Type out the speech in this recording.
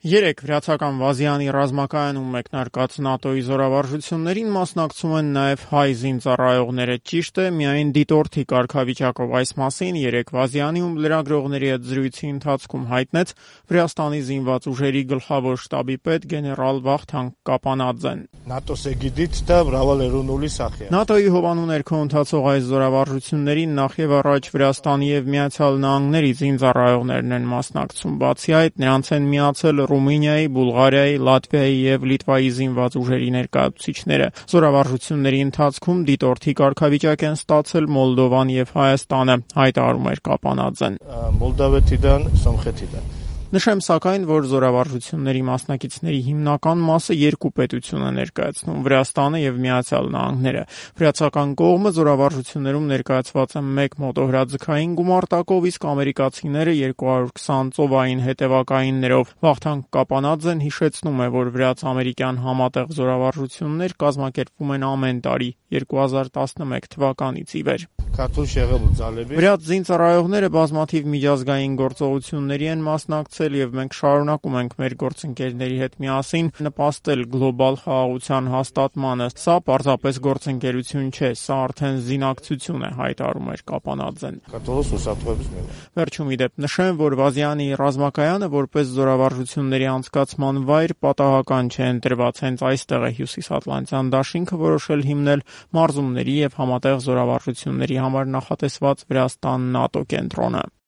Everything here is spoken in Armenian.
Երեկ վրացական Վազյանի ռազմակայանում մեկնարկած ՆԱՏՕ-ի զորավարժություններին մասնակցում են նաև հայ զինծառայողները։ Ճիշտ է, միայն դիտորդի կարգավիճակով այս մասին երեկ Վազյանում լրագրողների հետ զրույցի ընթացքում հայտնեց Վրաստանի զինված ուժերի գլխավոր շտաբի պետ գեներալ Վախթանգ Կապանաձեն։ ՆԱՏՕ-ի հովանու ներքո ընթացող այս զորավարժություններին նախևառաջ Վրաստանի եւ Միացյալ Նահանգների զինծառայողներն են մասնակցում։ Բացի այդ, նրանց են միացել Ռումինիայի, Բուլղարիայի, Լատվիայի եւ Լիտվայի զինված ուժերի ներկայացուցիչները։ Զորավարժությունների ընթացքում դիտորդի կարգավիճակ են ստացել Մոլդովան եւ Հայաստանը, հայտարարում էր Կապանաձեն։ Նշեմ սակայն, որ զորավարժությունների մասնակիցների հիմնական մասը երկու պետություն է ներկայացնում՝ Վրաստանը եւ Միացյալ Նահանգները։ Վրացական կողմը զորավարժություններում ներկայացված է 1 մոտոհրաձգային գումարտակով, իսկ ամերիկացիները 220 ծովային հետևակայիններով։ Վախթանգ Կապանաձեն հիշեցնում է, որ վրաց-ամերիկյան համատեղ զորավարժություններ կազմակերպվում են ամեն տարի 2011 թվականից ի վեր։ Վրաց զինծառայողները բազմաթիվ միջազգային գործողությունների են մասնակցել եւ մենք շարունակում ենք մեր գործընկերների հետ միասին նպաստել գլոբալ խաղաղության հաստատմանը։ Սա պարզապես գործընկերություն չէ, սա արդեն զինակցություն է, հայտարարում էր Կապանաձեն։ Վերջում ի դեպ նշեմ, որ Վազյանի ռազմակայանը որպես զորավարժությունների անցկացման վայր պատահական չէ ընտրված, հենց այստեղ է Հյուսիսատլանտյան դաշինքը որոշել հիմնել մարզումների եւ համատեղ զորավարժությունների համար նախատեսված Վրաստան ՆԱՏՕ կենտրոնը։